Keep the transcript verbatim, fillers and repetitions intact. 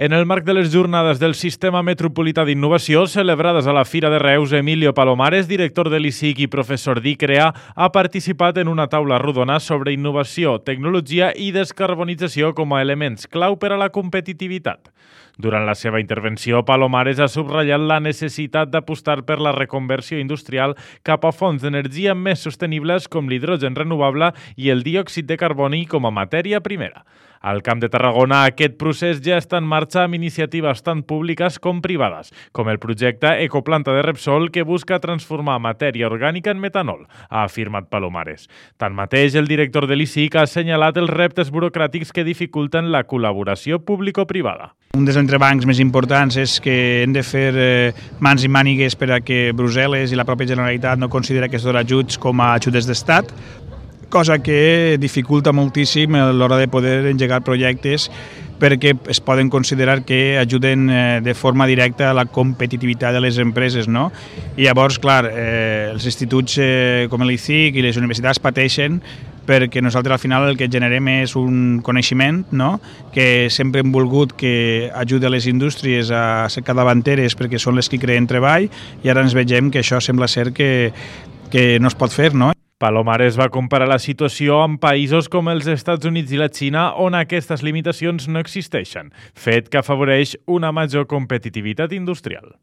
En el marc de les jornades del Sistema Metropolità d'Innovació celebrades a la Fira de Reus, Emilio Palomares, director de l'I C I C i professor d'ICREA, ha participat en una taula rodona sobre innovació, tecnologia i descarbonització com a elements clau per a la competitivitat. Durant la seva intervenció, Palomares ha subratllat la necessitat d'apostar per la reconversió industrial cap a fonts d'energia més sostenibles com l'hidrogen renovable i el diòxid de carboni com a matèria primera. Al Camp de Tarragona, aquest procés ja està en marxa amb iniciatives tant públiques com privades, com el projecte Ecoplanta de Repsol, que busca transformar matèria orgànica en metanol, ha afirmat Palomares. Tanmateix, el director de l'I C I C ha assenyalat els reptes burocràtics que dificulten la col·laboració público-privada. Un dels entrebancs més importants és que hem de fer eh, mans i mànigues per a que Brussel·les i la pròpia Generalitat no considera aquests ajuts com a ajudes d'estat, cosa que dificulta moltíssim a l'hora de poder engegar projectes perquè es poden considerar que ajuden de forma directa a la competitivitat de les empreses, no? I llavors, clar, eh, els instituts eh, com l'I C I C i les universitats pateixen perquè nosaltres al final el que generem és un coneixement, no?, que sempre hem volgut que ajudi a les indústries a ser capdavanteres perquè són les que creen treball i ara ens vegem que això sembla ser que, que no es pot fer, no? Palomares va comparar la situació amb països com els Estats Units i la Xina, on aquestes limitacions no existeixen, fet que afavoreix una major competitivitat industrial.